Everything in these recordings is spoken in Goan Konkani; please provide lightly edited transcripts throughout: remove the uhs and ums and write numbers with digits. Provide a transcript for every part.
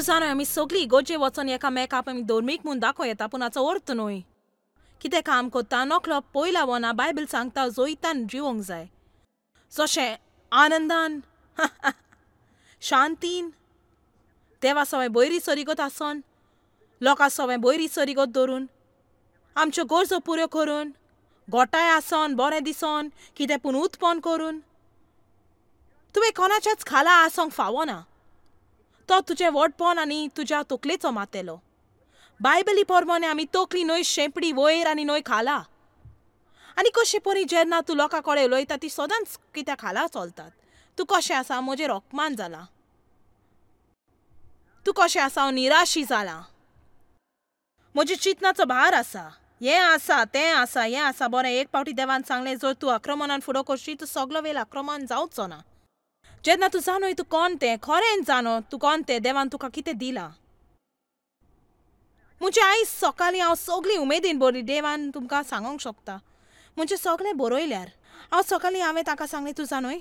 जाणा आमी सगळीं इगोर्जे वचोन एकामेकाक आमी धर्मीक म्हूण दाखोवं येता, पूण हाचो अर्थ न्हय. कितें काम कोत्ता नकलो पयला वना बायबल सांगता जोयतान जिवोंक जाय, जशें आनंदान शांतीन देवा सवें बयरी सरिगत आसोन, लोकां सवें बयरी सरिगत दवरून, आमच्यो गरजो पुऱ्यो करून, गोठाय आसोन बरें दिसोन कितें पूण उत्पन्न करून. तुवें कोणाच्याच खाला आसोंक फावना. तो तुजें व्हडपण आनी तुज्या तकलेचो मातेलो. बायबली प्रमाणे आमी तकली न्हय शेंपडी वयर आनी न्हय खाला. आनी कशें परी जेन्ना तूं लोकां कडेन उलयता ती सदांच कित्या खाला चलतात. तूं कशें आसा म्हजेर अपमान जाला, तूं कशें आसा हांव निराशी जाला, म्हज्या चिंतनाचो भार आसा, हें आसा तें आसा हें आसा. बरें, एक पावटी देवान सांगलें जर तूं आक्रमणान फुडो करशी तूं सगलो वेळ आक्रमण जावचो ना. जेन्ना तूं जाणोय तूं कोण तें, खरेंच जाणो तूं कोण तें, देवान तुका कितें दिलां. म्हणजे आयज सकाळीं हांव सगळीं उमेदीन बरी देवान तुमकां सांगूंक शकता. म्हणजे सगळें बरयल्यार हांव सकाळीं हांवें ताका सांगलें तूं जाणोय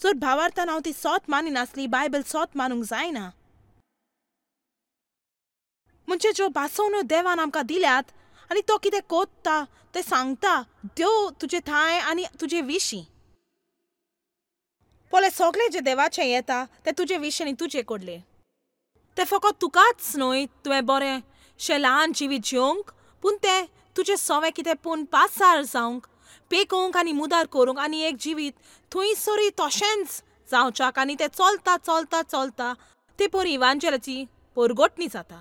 जर भावार्थान हांव ती सोत मानिनासली, बायबल सोत मानूंक जायना. म्हणजे ज्यो भासवण्यो देवान आमकां दिल्यात आनी तो कितें कोत्ता तें सांगता देव तुजे ठांय आनी तुजे विशीं. पळय सगळें जें देवाचें येता तें तुजे विशीं आनी तुजे कडलें. तें फकत तुकाच न्हय तुवें बरें शें ल्हान जिवीत जिवंक, पूण तें तुजें सवें कितें पूण पासार जावंक, पेकोवंक आनी मुदार करूंक आनी एक जिवीत थंयसरूय तशेंच जावच्याक. आनी तें चलता चलता चलता ते परी इवांजेलाची परगटणी जाता.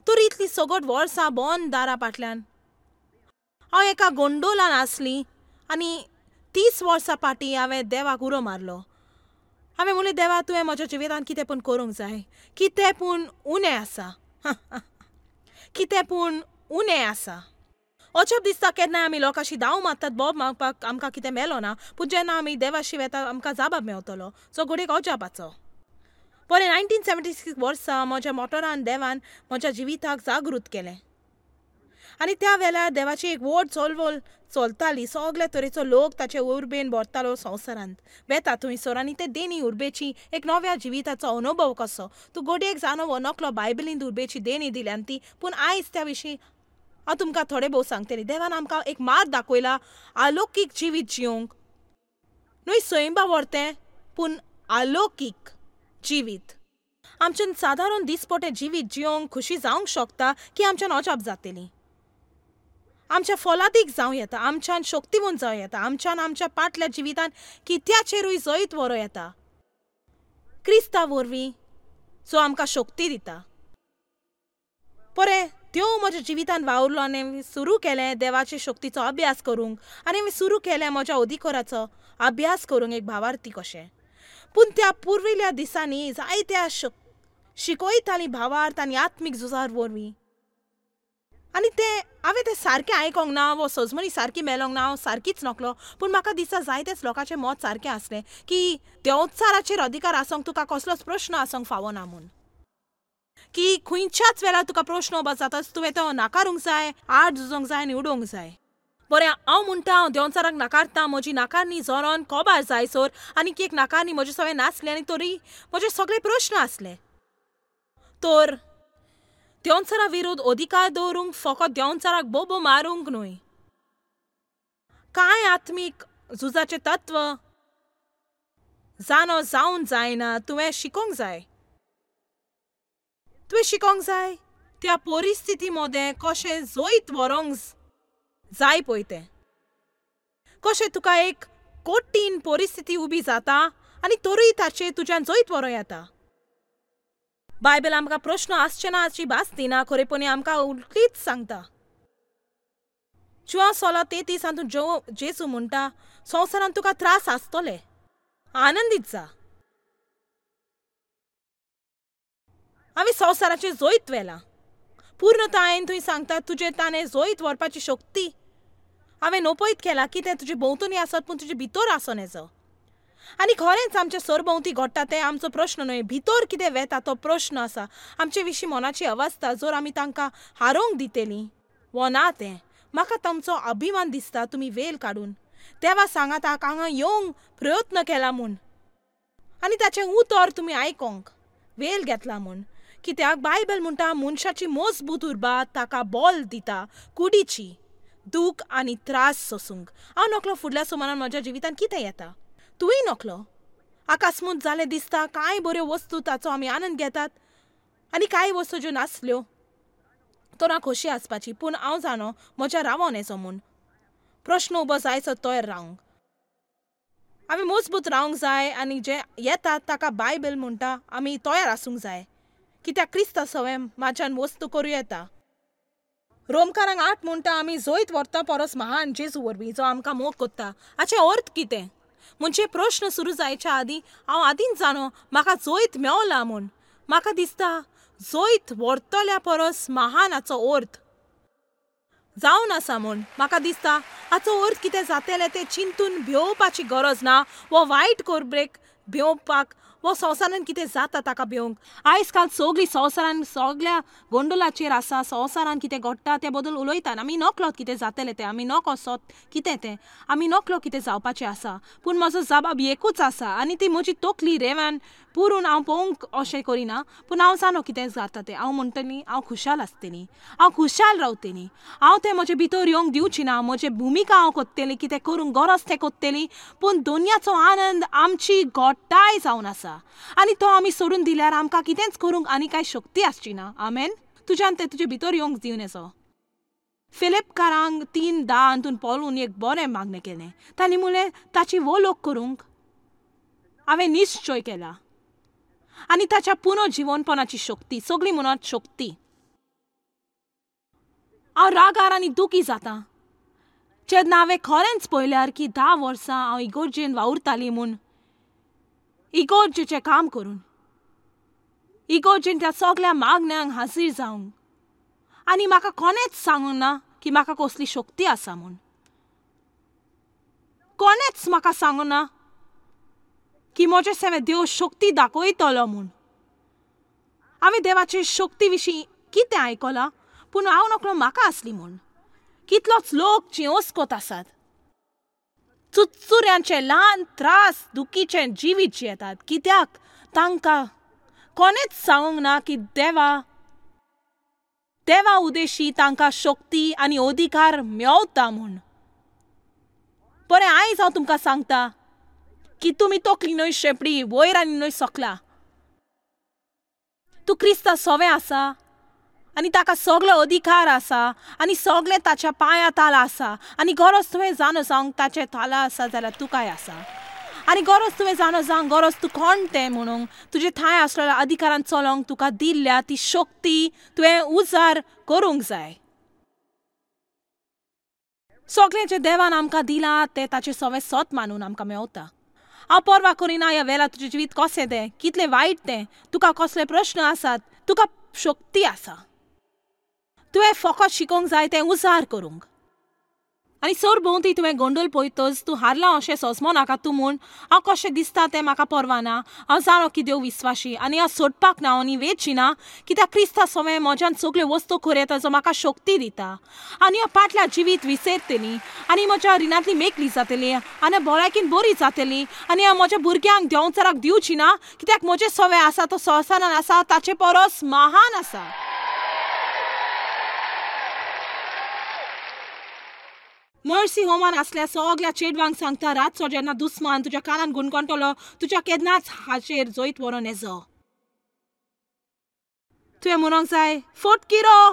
तर इतली सगट वर्सां बंद दारा फाटल्यान हांव एका गोंडोलान आसली आनी 30 वर्सां फाटीं हांवें देवाक उरो मारलो. हांवें म्हणलें देवा तुवें म्हज्या जिवितांत कितें पूण करूंक जाय, कितें पूण उणें आसा, कितें पूण उणें आसा. अजाप दिसता केन्नाय आमी लोकांशी धांव मारतात बोब मागपाक आमकां कितें मेलो ना, पूण जेन्ना आमी देवाशी वेता आमकां जाबाब मेवतलो सो घडयेक अजापाचो. बरें, 1976 वर्सा म्हज्या मोटरान देवान म्हज्या जिविताक जागृत केलें आनी त्या वेळार देवाची एक व्हड चळवळ चलताली. सगळे तरेचो लोक ताचे उर्बेन भरतालो संवसारांत वेता थंयसर आनी ते देणी उर्बेची एक नव्या जिविताचो अनुभव कसो तूं घडयेक जाणो हो नकलो बायबलीन उर्बेची देणी दिल्यान ती. पूण आयज त्या विशीं हांव तुमकां थोडे भोव सांगतलें. देवान आमकां एक मार्ग दाखयला आलोकीक जिवीत जिवंक, न्हय सैंबा व्हरतें पूण आलोकीक जिवीत. आमच्यान सादारण दिसपटें जिवीत जिवंक खुशी जावंक शकता की आमच्यान अजाप जातली, आमच्या फलादीक जावं येता, आमच्यान शक्तिवंत जावं येता, आमच्यान आमच्या पाटल्या जिवितान कित्याचेरूय जैत व्हरूं येता क्रिस्ता वरवीं जो आमकां शक्ती दिता. बरें, देव म्हज्या जिवितान वावुरलो आनी सुरू केलें देवाचे शक्तीचो अभ्यास करूंक आनी हांवें सुरू केलें म्हज्या अधिकाराचो अभ्यास करूंक एक भावार्थी कशें. पूण त्या पुर्विल्ल्या दिसांनी जायत्या शिकयतालीं भावार्थ आनी आत्मीक झुजार वरवीं आनी तें हांवें तें सारकें आयकोंक ना वो सजमणी सारकी मेलोंक ना, हांव सारकीच नकलो. पूण म्हाका दिसता जायतेच लोकांचें मत सारकें आसलें की देंवचाराचेर अधिकार आसूंक तुका कसलोच प्रश्न आसूंक फावना म्हूण, की खंयच्याच वेळार तुका प्रश्न उबो जाताच तुवें तो नाकारूंक जाय, आड झुजोंक जाय आनी उडोवंक जाय. बरें, हांव म्हणटा हांव देंवचाराक नाकारता, म्हजी नाकारणी जोरोन कोबार जाय सर आनी एक नाकारणी म्हजे सवें नासली आनी तरी म्हजे सगळे प्रश्न आसले. तर देंवचारा विरोध अधिकार दवरूंक फकत देंवचाराक बोबो मारूंक न्हय, कांय आत्मीक झुजाचें तत्व जाणो जावन जायना तुवें शिकोंक जाय. तुवें शिकोंक जाय त्या परिस्थिती मदें कशें जैत व्हरूंक जाय पळय तें, कशें तुका एक कठीण परिस्थिती उबी जाता आनी तरूय ताचेर तुज्यान जैत व्हरूं येता. बायबल आमकां प्रश्न आसचे ना हाची भास दिना, खरेपणी आमकां उलटीच सांगता. जुआंव 16:33 हातूंत जेजू म्हणटा संवसारांत तुका त्रास आसतले, आनंदीत जा, हांवें संवसाराचेर जैत व्हेलां. पूर्णतायेन थंय सांगता तुजें ताणें जैत व्हरपाची शक्ती हांवें नपयत केला कितें तुजे भोंवतणी आसत पूण तुजे भितर आसूं येजो. आनी खरेंच आमच्या सरभोंवती घडटा तें आमचो प्रश्न न्हय, भितर कितें वेता तो प्रश्न आसा. आमचे विशीं मनाची अवस्था जर आमी तांकां हारोवंक दितलीं वो ना तें म्हाका तांचो अभिमान दिसता. तुमी वेळ काडून देवा सांगात हांगा येवंक प्रयत्न केला म्हूण आनी ताचें उतर तुमी आयकोंक वेल घेतला म्हूण. कित्याक बायबल म्हणटा मनशाची मजबूत उर्बा ताका बोल दिता कुडीची दूख आनी त्रास सोसूंक. हांव नकलो फुडल्या सुमारान म्हज्या जिवितान कितें येता, तूंय नकलो. आकास्मूत जालें दिसता कांय बऱ्यो वस्तू ताचो आमी आनंद घेतात आनी कांय वस्तू ज्यो नासल्यो तो ना खोशी आसपाची. पूण हांव जाणो म्हज्या रावोन येचो म्हूण प्रश्न उबो जायचो तयार रावंक. आमी मजबूत रावंक जाय आनी जे येतात ताका बायबल म्हणटा आमी तयार आसूंक जाय. कित्याक क्रिस्ता सवें म्हाज्यान वस्तू करूं येता. रोमकारांक 8 म्हणटा आमी जैत व्हरता परस महान जेजू वरवीं जो आमकां मोग कोत्ता. हाचें अर्थ कितें म्हणजे प्रश्न सुरू जायच्या आदीं हांव आदींच जाणो म्हाका जैत मेवला म्हूण. म्हाका दिसता जैत व्हरतल्या परस महान हाचो अर्थ जावन आसा म्हूण. म्हाका दिसता हाचो अर्थ कितें जातलें तें चिंतून भिवपाची गरज ना वो वायट करब्रेक भिवपाक वो संवसारान कितें जाता ताका भिवंक. आयज काल सगळीं संवसारान सगळ्या गोंडोलाचेर आसा. संवसारान कितें घडटा तें बदल उलयतात. आमी नकलो कितें जातलें तें, आमी नको सोत कितें तें, आमी नकलो कितें जावपाचें आसा. पूण म्हजो जबाब एकूच आसा आनी ती म्हजी तकली रेवान पुरून हांव पळोवंक अशें करिना. पूण हांव जाणो कितें जाता तें. हांव म्हणटली हांव खुशाल आसतली, हांव खुशाल रावतली. हांव तें म्हजे भितर येवंक दिवची ना. म्हजी भुमिका हांव कोत्तली, कितें करूंक गरज तें कोत्तली. पूण दोनयाचो आनंद आमची गोटाय जावन आसा आनी तो आमी सोडून दिल्यार आमकां कितेंच करूंक आनी कांय शक्ती आसची ना. आमेन. तुज्यान तें तुजे भितर येवंक दिवन येचो. फिलिपकारांक 3:10 हातून पळोवन एक बरें मागणें केलें. तांणी म्हणलें ताची वोलोक करूंक हांवें निश्चय केला आनी ताच्या पुनर्जिवनपणाची शक्ती सगळी म्हणत शक्ती. हांव रागार आनी दुखी जाता जेन्ना हांवें खरेंच पळयल्यार की 10 वर्सां हांव इगोर्जेन वावुरताली म्हूण, इगोर्जेचें काम करून, इगोर्जेन त्या सगळ्या मागण्यांक हाजीर जावंक, आनी म्हाका कोणेंच सांगूंक ना की म्हाका कसली शक्ती आसा म्हूण. कोणेंच म्हाका सांगूंक ना की म्हजे सेवें देव शक्ती दाखयतलो म्हूण. हांवें देवाचे शक्ती विशीं कितें आयकलां पूण हांव नकळो म्हाका आसली म्हूण. कितलोच लोक चिंवस्कोत आसात, चुरचुऱ्यांचे ल्हान त्रास दुखीचे जिवीत जियेतात. कित्याक तांकां कोणेंच सांगूंक ना की देवा देवा उदेशी तांकां शक्ती आनी अधिकार मेवता म्हूण. बरें, आयज हांव तुमकां सांगता की तुमी तकली न्हय शेंपडी वयर आनी न्हय सकला. तूं क्रिस्ता सोवें आसा आनी ताका सगलो अधिकार आसा आनी सगळें ताच्या पांया ताला आसा आनी गरज तुवें जाणो जावंक ताचे ताला आसा जाल्यार तुकाय आसा. आनी गरज तुवें जाणो जावंक गरज तूं कोण तें म्हणूंक तुजे थंय आसलेल्या अधिकारान चलोवंक तुका दिल्ल्या ती शक्ती तुवें उजार करूंक जाय. सगळें जें देवान आमकां दिलां तें ताचें सवें सत मानून आमकां मेवता. हांव पर्वा करिना ह्या वेळार तुजें जिवीत कशें तें, कितलें वायट तें, तुका कसले प्रश्न आसात, तुका शक्ती आसा. तुवें फकत शिकोवंक जाय तें उजार करूंक. आनी सरभोंवती तुवें गोंडोल पळयतच तूं हारलां अशें सोंसमो नाका तूं म्हूण. हांव कशें दिसता तें म्हाका पर्वा ना. हांव जाणो की देव विस्वाशी आनी हांव सोडपाक ना आनी वेची ना. कित्याक क्रिस्ता सवें म्हज्यान सगल्यो वस्तू करूं येता जो म्हाका शक्ती दिता. आनी हांव पाटल्या जिवीत विसरतली आनी म्हज्या रिणांतली मेकळी जातली आनी भलायकीन बरी जातली आनी हांव म्हज्या भुरग्यांक देंवचाराक दिवची ना. कित्याक म्हजें सवें आसा तो संवसारान आसा ताचे परस महान आसा. मर्सी होमान आसल्या सगळ्या चेडवांक सांगता रातचो जेन्ना दुस्मान तुज्या कानान गुणगणटलो तुज्या केन्नाच हाचेर जैत व्हरोन येजो. तुवें म्हणूंक जाय फोट किरो.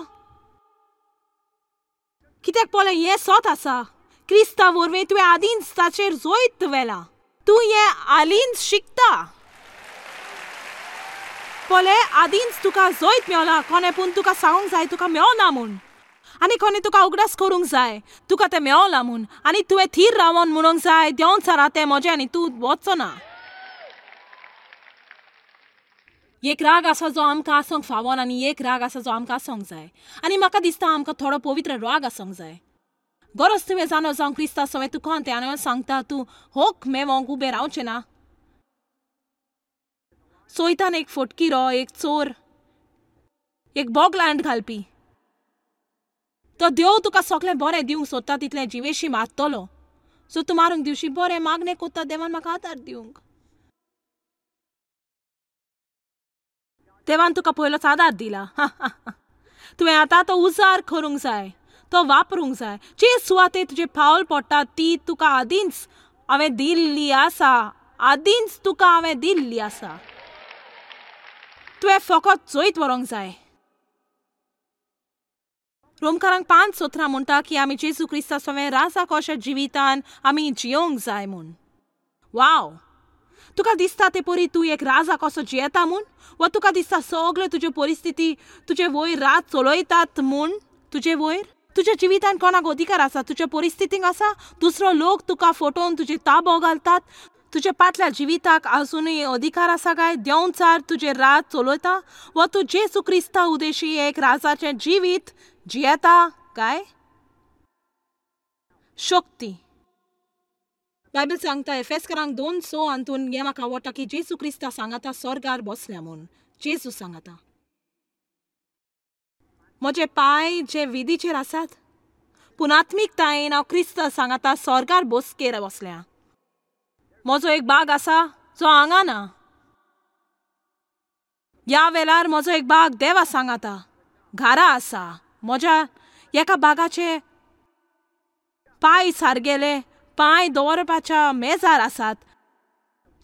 कित्याक पळय हें सत आसा. क्रिस्ता वरवीं तुवें आदींच ताचेर जैत व्हेलां. तूं हें हालींच शिकता. पळय आदींच तुका जैत मेवला. कोणें पूण तुका सांगूंक जाय तुका मेवना म्हूण आनी कोणें तुका उगडास करूंक जाय तुका तें मेवलां म्हूण आनी तुवें थीर रावन म्हणूंक जाय देंवचारा तें म्हजें आनी तूं वचो ना. एक राग आसा जो आमकां आसूंक फावोन आनी एक राग आसा जो आमकां आसूंक जाय. आनी म्हाका दिसता आमकां थोडो पवित्र राग आसूंक जाय. गरज तुवें जाणो जावंक क्रिस्ता सवें तूं कोण तें आनी हांव सांगता तूं होक मेवोंक उबें रावचें ना. सोयतान एक फोटकिरो, एक चोर, एक बोगलांड घालपी. तो देव तुका सगळें बरें दिवंक सोदता तितलें जिवेशी मारतलो. सो तूं मारूंक दिवशी बरें मागणें कोत्ता देवान म्हाका आदार दिवंक. देवान तुका पयलोच आदार दिला. तुवें आतां तो उजार करूंक जाय, तो वापरूंक जाय. जे सुवाते तुजें पावल पडटा ती तुका आदींच हांवें दिल्ली आसा, आदींच तुका हांवें दिल्ली आसा. तुवें फकत जैत व्हरूंक जाय. रोमकारांक 5:17 म्हणटा की आमी जेजू क्रिस्ता सवें राजा कशा जिवितान आमी जियोंक जाय म्हूण. वाव! तुका दिसता ते परी तूं एक राजा कसो जियेता म्हूण, वा तुका दिसता सगळ्यो तुज्यो परिस्थिती तुजे वयर रात चलयतात म्हूण? तुजे वयर तुज्या जिवितान कोणाक अधिकार आसा? तुज्या परिस्थितीक आसा? दुसरो लोक तुका फटोवन तुजे ताबो घालतात? तुज्या पाटल्या जिविताक आजुनूय अधिकार आसा काय देंवचार तुजें रात चलयता? वा तूं जेजू क्रिस्ता उदेशी एक राजाचें जिवीत जियेता काय? शक्ती. बायबल सांगता एफेसकरांक 2:6 हातून हें म्हाका आवडटा की जेजू क्रिस्ता सांगाता स्वर्गार बसल्या म्हूण. जेजू सांगाता म्हजे पांय जे विधीचेर आसात, पूण आत्मीकतायेन हांव क्रिस्त सांगाता स्वर्गार बसकेर बसल्या. म्हजो एक बाग आसा जो हांगा ना. ह्या वेळार म्हजो एक बाग देवा सांगाता घरा आसा. म्हज्या एका बागाचे पांय सारगेले पांय दवरपाच्या मेजार आसात,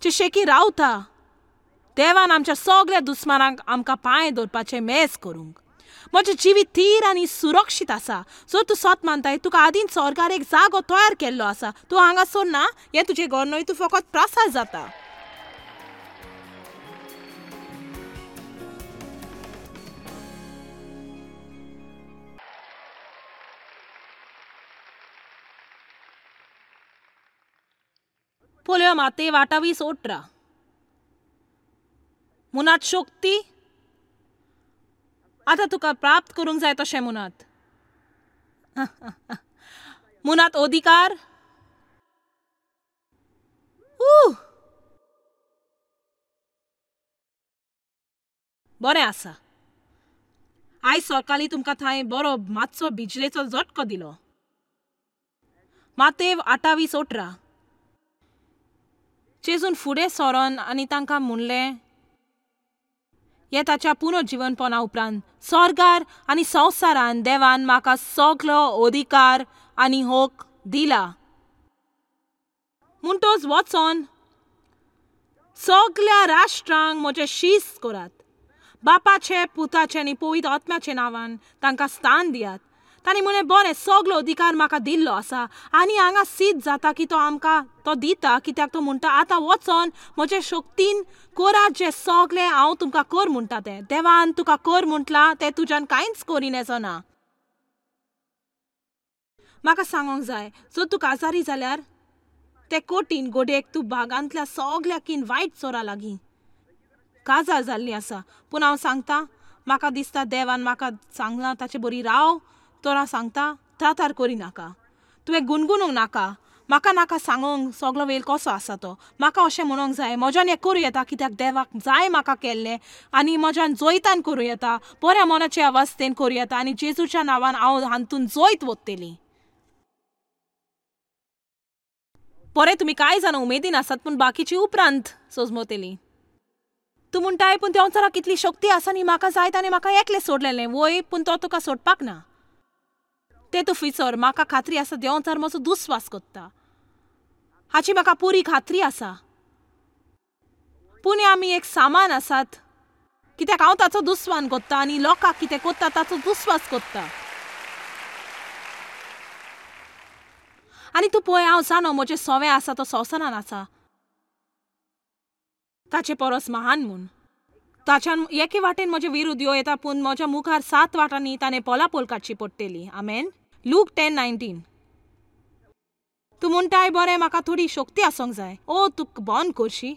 जे शेकी रावता. देवान आमच्या सगळ्या दुस्मानांक आमकां पांय दवरपाचें मेज करूंक. म्हजें जिवीत थीर आनी सुरक्षीत आसा. जर तूं सत मानताय तुका आदींच स्वर्गार एक जागो तयार केल्लो आसा. तूं हांगासर ना, हें तुजें घर न्हय, तूं फकत प्रासार जाता. पळोवया मातेव 28:18. मुनात शक्ती आतां तुका प्राप्त करूंक जाय तशें मुनात. मुनात अधिकार. बरें आसा. आयज सकाळीं तुमकां थंय बरो मातसो बिजलेचो झटको दिलो. मातेव 28:18. जेजून फुडें सरोन आनी तांकां म्हणलें, हे ताच्या पुनर्जिवनपणा उपरांत स्वर्गार आनी संवसारान देवान म्हाका सगलो अधिकार आनी हक दिला. म्हणटच वचोन सगल्या राष्ट्रांक म्हजें शिस्त करात. बापाचे, पुताचे आनी पवित्र आत्म्याचे नांवान तांकां स्थान दियात. तांणी म्हणलें, बरें, सगलो अधिकार म्हाका दिल्लो आसा आनी हांगा सिद्ध जाता की तो आमकां तो दिता, कित्याक तो म्हणटा आतां वचोन म्हजे शक्तीन करात जें सगलें हांव तुमकां कर म्हणटा तें. देवान तुका कर म्हटलां तें तुज्यान कांयच करीन येचो ना. म्हाका सांगोंक जाय, जर तूं काजारी जाल्यार ते कठीण गोडेक तूं बागांतल्या सगल्या वायट चोरा लागीं काजार जाल्ली आसा. पूण हांव सांगता, म्हाका दिसता देवान म्हाका सांगलां ताचे बरी राव. तर हांव सांगता त्रातार करिनाका, तुवें गुणगुणूंक नाका, म्हाका नाका सांगोंक सगलो वेळ कसो आसा तो. म्हाका अशें म्हणूंक जाय म्हज्यान हें करूं येता, कित्याक देवाक जाय म्हाका केल्लें आनी म्हज्यान जैतान करूं येता, बऱ्या मनाचे अवस्थेन करूं येता आनी जेजूच्या नांवान हांव हातून जैत वतली. बरें, तुमी कांय जाणां उमेदीन आसात, पूण बाकीची उपरांत सोजमतली. तूं म्हणटाय, पूण देंवचाराक कितली शक्ती आसा न्ही, म्हाका जाय ताणें म्हाका एकलें सोडलेलें. वय, पूण तो तुका सोडपाक ना. तें तूं फिसर. म्हाका खात्री आसा देंवचार म्हजो दुस्वास करता, हाची म्हाका पुरी खात्री आसा. पूण आमी एक सामान आसात, कित्याक हांव ताचो दुस्वान करता आनी लोकांक कितें करता ताचो दुस्वास करता. आनी तूं पळय, हांव जाणो म्हजें सवें आसा तो संवसारान आसा ताचे परस महान म्हूण. ताच्यान एके वाटेन म्हजे विरुद्ध यो येता, पूण म्हज्या मुखार 7 वाटांनी ताणें पोलापोल काडची पडटली. आमेन. लूक 10:19. तूं म्हणटाय, बरें, म्हाका थोडी शक्ती आसूंक जाय. ओ, तुका बंद करशी?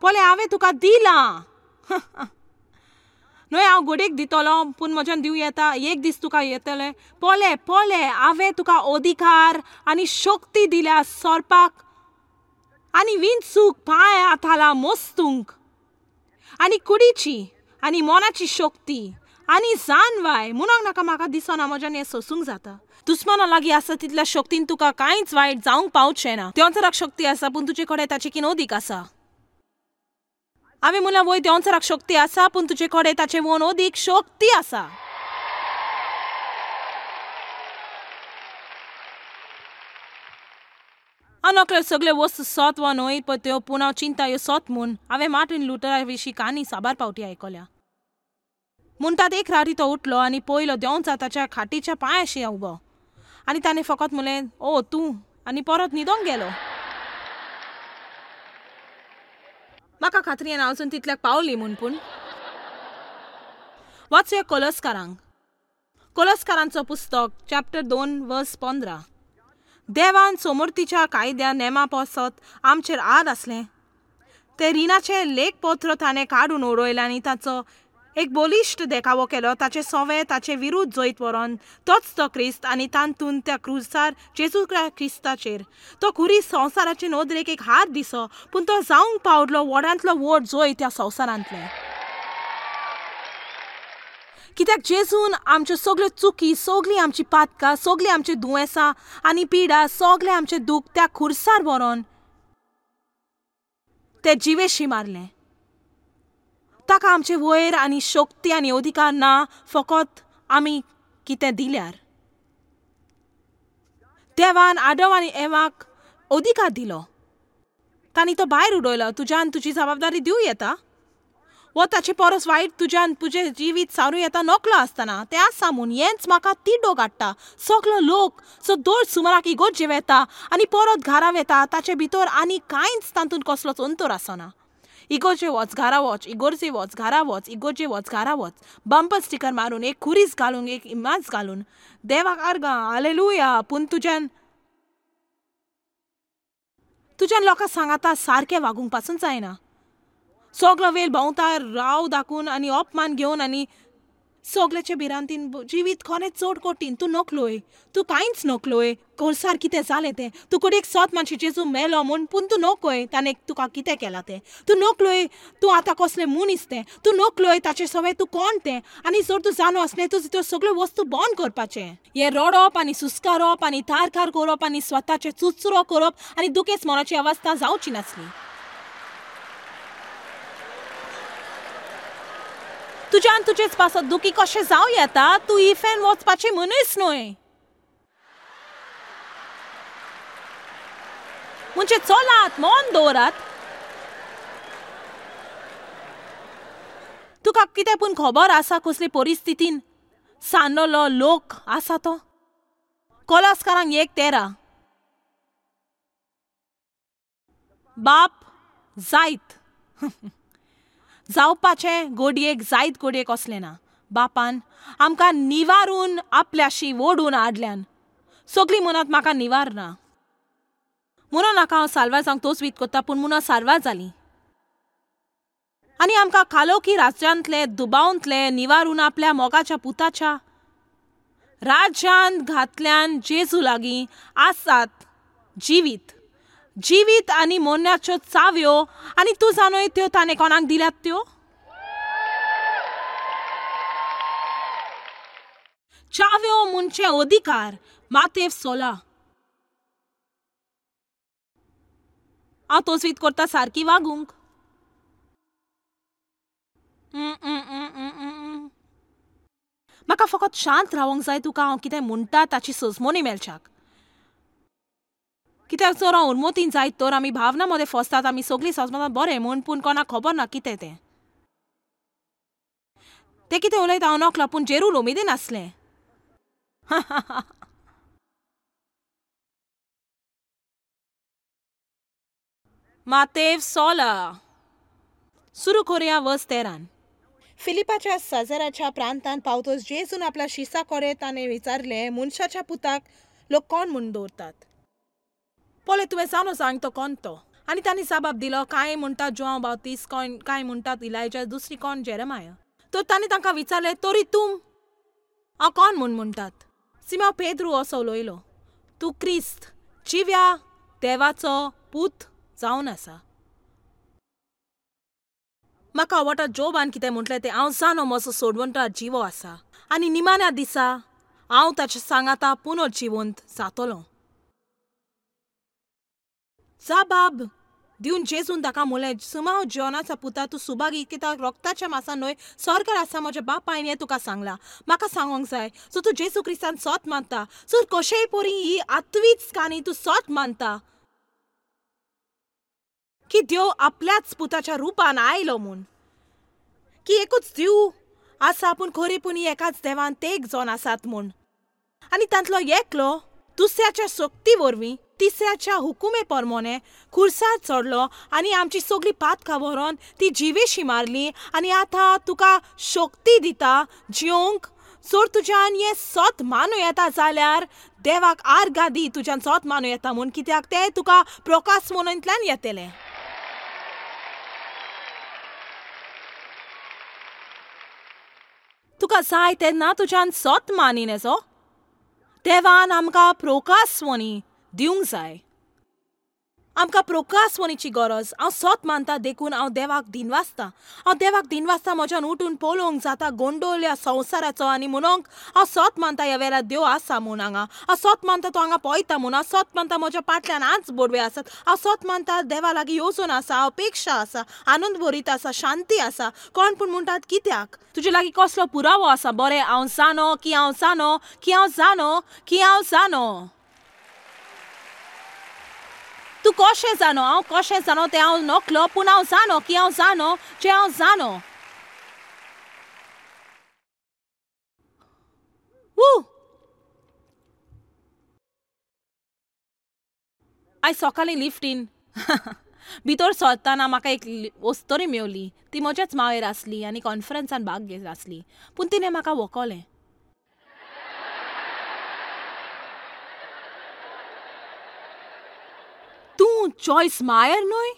पळय, हांवें तुका दिलां. न्हय, हांव गोडेक दितलो, पूण म्हज्यान दिवं येता. एक दीस तुका येतलें. पळय पळय, हांवें तुका अधिकार आनी शक्ती दिल्या सोरपाक आनी विंचूक पांय हाताला मोस्तूंक आनी कुडीची आनी मनाची शक्ती आनी जानवाय. म्हणूंक नाका म्हाका दिसना म्हज्यान हें सोसूंक जाता. दुस्माना लागीं आसा तितल्या शक्तीन तुका कांयच वायट जावंक पावचें ना. देंवचाराक शक्ती आसा, पूण तुजे कडेन ताची किन अदीक आसा. हांवें म्हणलां वय देंवचाराक शक्ती आसा, पूण तुजे कडेन ताचे वोन अदीक शक्ती आसा. हांव नकळो सगल्यो वस्तू सत वा न्हय पळय त्यो, पूण हांव चिंता ह्यो सत म्हूण. हांवें मार्टिन लुथरा विशीं काणी साबार पावटी आयकल्या. म्हणटात एक राती तो उठलो आनी पयलो देंवचार ताच्या खाटीच्या पांयाशी उबो आनी ताणें फकत म्हणलें ओ तूं, आनी परत न्हिदोंक गेलो. म्हाका खात्री येना अजून तितल्याक पावली म्हूण, पूण वाचया कोलस्कारांक. कोलस्कारांचो पुस्तक चॅप्टर 2 वर्स 15. देवान सोमर्तीच्या कायद्या नेमा पासत आमचेर आद आसलें तें रिणाचें लेखपत्र ताणें काडून उडयलें आनी ताचो एक बलिश्ट देखावो केलो. ताचें सोवें ताचे विरुद्ध जैत व्हरोन तोच तो क्रिस्त आनी तातूंत त्या क्रुजार जेजू क्रिस्ताचेर तो खुरी संवसाराचे नदरेक एक हार दिसो, पूण तो जावंक पावलो व्हडांतलो व्हड जैत त्या संवसारांतलें. कित्याक जेजून आमच्यो सगल्यो चुकी, सगळीं आमची पातकां, सगळीं आमची दुयेंसां आनी पिडा, सगळें आमचें दूख त्या खुर्सार व्हरोन ते जिवेशी मारलें. ताका आमचे वयर आनी शक्ती आनी अधिकार ना, फकत आमी कितें दिल्यार. देवान आदम आनी एवाक अधिकार दिलो, तांणी तो भायर उडयलो. तुज्यान तुजी जबाबदारी दिवं येता वो ताचे परस वायट तुज्यान तुजें जिवीत सारूं येता नकलो आसतना. तें आसा म्हूण हेंच म्हाका तिडो काडटा. सगलो लोक सो दर सुमाराक इगोर्जे वेता आनी परत घरा वेता, ताचे भितर आनी कांयच तातूंत कसलोच अंतर आसना. इगोर्जे वच घरा वच, इगोर्जे वच घरा वच, इगोर्जे वच घरा वच, बंपर स्टिकर मारून, एक खुरीस घालून, एक इमाज घालून, देवाक आर्गां हालेलुया. पूण तुज्यान तुज्यान लोकां सांगाता सारकें वागूंक पासून जायना. सगलो वेळ भोंवता राव दाखून आनी अपमान घेवन आनी सगल्याचे भिरांतीन जिवीत कोणें चड कठीण. तूं नकलोय, तूं कांयच नकलोय. कोर्सार कितें जालें तें तूं कोडेक सत मानशी जेजू मेलो म्हूण, पूण तूं नकय ताणें तुका कितें केलां तें. तूं नकलोय तूं आतां कसलें मनीस तें. तूं नकलोय ताचे सवय तूं कोण तें. आनी जर तूं जाणो आसलें तूं त्यो सगळ्यो वस्तू बंद करपाचें. हें रडप आनी सुस्कारप आनी तारकार करप आनी स्वताचें चुचरो करप आनी दुखेच मनाची अवस्था जावची नासली. तुज्यान तुजेच पासत दुखी कशें जावं येता? तूं इफेन वचपाचें मनीस न्हय. म्हणजे चलात, मन दवरात. तुका कितें पूण खबर आसा कसले परिस्थितीन सांडलो लोक आसा तो? कोलासकारांक 1:13. बाप जायत जावपाचें गोडयेक जायत गोडयेक असलें ना. बापान आमकां निवारून आपल्याशी ओडून हाडल्यान. सगळीं म्हणत म्हाका निवारना म्हणून नाका हांव साल्वार जावंक तोच वीत करता, पूण म्हणून साल्वार जालीं. आनी आमकां कालोखी राज्यांतले दुबावंतले निवारून आपल्या मोगाच्या पुताच्या राज्यांत घातल्यान जेजू लागीं आसात जिवीत जिवीत आनी मोन्याच्यो चाव्यो. आनी तूं जाणोय त्यो ताणें कोणाक दिल्यात त्यो चाव्यो म्हणचे अधिकार. मातेव 16. हांव तोचवीत करता सारकी वागूंक. म्हाका फकत शांत रावंक जाय. तुका हांव कितें म्हणटा ताची सजमोनी मेळच्याक. कित्याक जर हांव उर्मतीन जायत तर आमी भावना मदें फसतात. आमी सगळीं सजमतात बरें म्हूण, पूण कोणाक खबर ना कितें तें. तें कितें उलयता हांव नकळो, पूण जेरूल उमेदीन आसलें. मातेव 16 सुरू करुया वर्स 13. फिलिपाच्या सजराच्या प्रांतान पावतोच जेजून आपल्या शिसा कडेन ताणें विचारलें, मनशाच्या पुताक लोक कोण म्हूण दवरतात? पळय तुवें जाणो सांग तो कोण तो. आनी तांणी जबाब दिलो, कांय म्हणटात जुआंव बाप्तीस्त, कांय म्हणटात इलायजा, दुसरी कोण जेरेमाया. तर तांणी तांकां विचारलें, तरी तूं हांव कोण म्हूण म्हणटात? सिमांव पेद्रू असो उलयलो, तूं क्रिस्त जिव्या देवाचो पूत जावन आसा. म्हाका आवडटा जोबान कितें म्हटलें तें. हांव जाणो म्हजो सोडवणदार जिवो आसा आनी निमाण्या दिसा हांव ताचे सांगाता पुनर्जिवंत जातलो. जबाब दिवन जेजून ताका म्हणलें, सुमाव जॉनाचा पुता, तूं सुभागी, कित्याक रोगताच्या मासा न्हय स्वर्गार आसा म्हज्या बापायन हें तुका सांगलां. म्हाका सांगोंक जाय, सो तूं जेजू क्रिस्तान सोत मानता, सो कशेंय परी ही आत्वीच काणी तूं सोत मानता की देव आपल्याच पुताच्या रुपान आयलो म्हूण, की एकूच देव आसा पूण खरी पूण एकाच देवान तेग जावन आसात म्हूण, आनी तांतलो एकलो दुसऱ्याच्या शक्ती वरवीं तिसऱ्याच्या हुकुमे परमोने खुर्सार चडलो आनी आमची सगळी पातकां व्हरोन ती जिवेशी मारली आनी आतां तुका शक्ती दिता जिवंक. जर तुज्यान हें सत मानू येता जाल्यार देवाक आर्गां दी तुज्यान सत मानू येता म्हूण, कित्याक तें तुका प्रकाश म्हणूंतल्यान येतलें. तुका जाय तेन्ना तुज्यान सत मानी नेजो. देवान आमकां प्रोकासवणी दिवंक जाय, आमकां प्रोकासवणीची गरज. हांव सत मानता देखून हांव देवाक दिनवासता. हांव देवाक दिनवासता म्हज्यान उठून पळोवंक जाता गोंडोल्या संवसाराचो आनी म्हणूंक हांव सत मानता ह्या वेळार देव आसा म्हूण हांगा. हांव सत मानता तो हांगा पळयता म्हूण. हांव सत मानता म्हज्या फाटल्यान आज बोडवे आसात. हांव सत मानता देवा लागीं येवजण आसा, अपेक्षा आसा, आनंद भरीत आसा, शांती आसा. कोण पूण म्हणटात कित्याक तुजे लागीं कसलो पुरावो आसा? बरें, हांव जाणो की हांव जाणो की हांव जाणो की हांव जाणो. तूं कशें जाणो? हांव कशें जाणो तें हांव नकलो, पूण हांव जाणो की हांव जाणो जें हांव जाणो. आयज सकाळीं लिफ्टीन भितर सरतना म्हाका एक वस्तोरी मेवली. ती म्हज्याच मावेर आसली आनी कॉन्फरन्सान भाग घेत आसली, पूण तिणें म्हाका वखलें. तूं चॉयस मायर न्हय?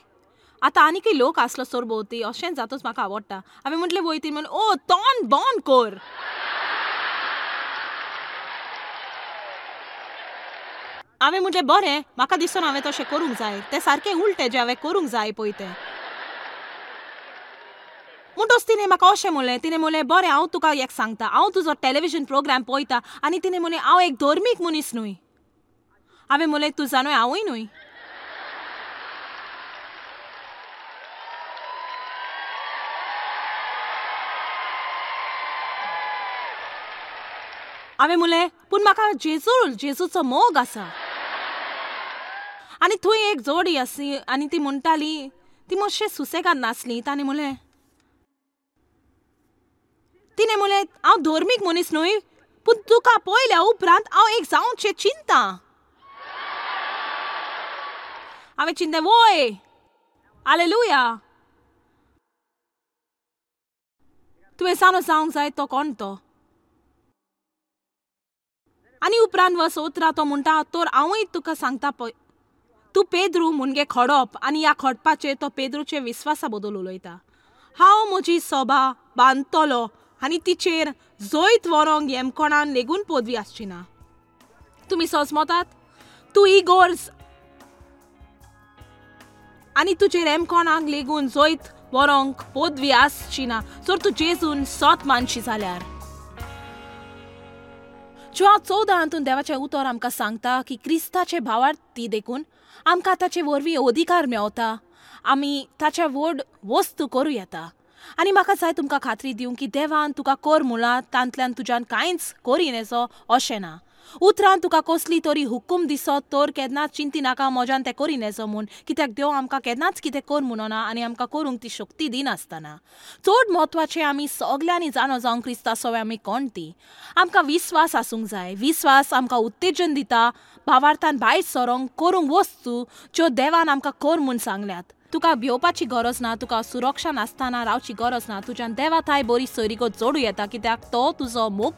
आतां आनीकय लोक आसलो सरभोंवती, अशेंच जातूच म्हाका आवडटा. हांवें म्हटलें वयती म्हण, ओ तोंड बंद कर. हांवें म्हटलें बरें, म्हाका दिसना हांवें तशें करूंक जाय, तें सारकें उलटें जें हांवें करूंक जाय पळय तें. म्हणटच तिणें म्हाका अशें म्हणलें, तिणें म्हणलें बरें हांव तुका एक सांगता, हांव तुजो टॅलिविजन प्रोग्राम पळयता. आनी तिणें म्हणलें हांव एक धर्मीक मनीस न्हय. हांवें म्हणलें तूं जाणूय हांवूय न्हय. हांवें म्हणलें पूण म्हाका जेजूचो मोग आसा. आनी थंय एक जोडी आसली आनी ती म्हणटाली, ती मातशें सुसेगाद नासली. ताणें म्हणलें, तिणें म्हणलें हांव धर्मीक मनीस न्हय, पूण तुका पळयल्या उपरांत हांव एक जावचें चिंता. हांवें चिंतलें वय हालेलुया, तुवें जाणो जावंक जाय तो कोण तो. आनी उपरांत वस उतरा तो म्हणटा, तर हांवूय तुका सांगता पळय, तूं पेद्रू मुणगे खडप, आनी ह्या खडपाचेर तो पेद्रूचे विस्वासा बद्दल उलयता. हांव म्हजी सोबा बांदतलो आनी तिचेर जैत व्हरोंक येमकोणान लेगून पदवी आसची ना. तुमी सजमतात? तूं इगोर्ज आनी तुजेर येमकोणाक लेगून जैत व्हरोंक पदवी आसची ना जर तूं जेजून सत मानशी जाल्यार. जुआंव 14 हातून देवाचें उतर आमकां सांगता की क्रिस्ताचे भावार्थी देखून आमकां ताचे वरवीं अधिकार मेवता, आमी ताच्या व्हड वस्तू करूं येता. आनी म्हाका जाय तुमकां खात्री दिवंक की देवान तुका कर म्हणलां तांतल्यान तुज्यान कांयच करिनेसो अशें ना. उतरान तुका कसली तरी हुकूम दिसत तर केन्नाच चिंती नाका म्हज्यान तें करिनेसो म्हूण, कित्याक देव आमकां केन्नाच कितें कर म्हणना आनी आमकां करूंक ती शक्ती दिनासतना. चड म्हत्वाचें आमी सगल्यांनी जाणो जावंक क्रिस्ता सवे आमी कोण ती. आमकां विस्वास आसूंक जाय. विस्वास आमकां उत्तेजन दिता भावार्थान भायर सरोंक करूंक वस्तू ज्यो देवान आमकां कर म्हूण सांगल्यात. तुका भिवपाची गरज ना, तुका सुरक्षा नासतना रावची गरज ना. तुज्यान देवा थाय बरी सोयरीगत जोडूं येता कित्याक तो तुजो मोग